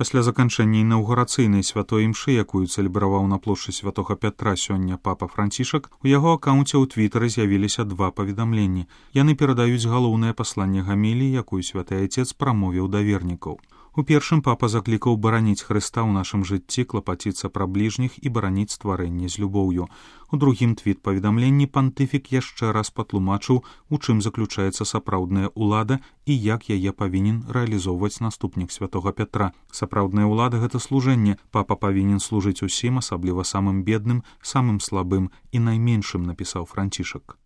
Пасля заканчэння інаўгурацыйнай святой імшы, якую цэлебраваў на плошчы святога Пятра сёння папа Францішак, у яго акаунце ў твітары з'явіліся два паведамленні. Яны перадаюць галоўнае пасланне гаміліі, якую святы айцец прамовіў да вернікаў. У першым папа заклікаў бараніць Хрыста ў нашым жыцці, клапаціцца пра бліжніх і бараніць стварэнне з любоўю. У другім твіт-паведамленні пантыфік яшчэ раз патлумачыў, у чым заключаецца сапраўдная ўлада і як яе павінен рэалізоўваць наступнік святога Пятра. Сапраўдная ўлада — гэта служэнне. Папа павінен служыць усім, асабліва самым бедным, самым слабым і найменшым, напісаў Францішак.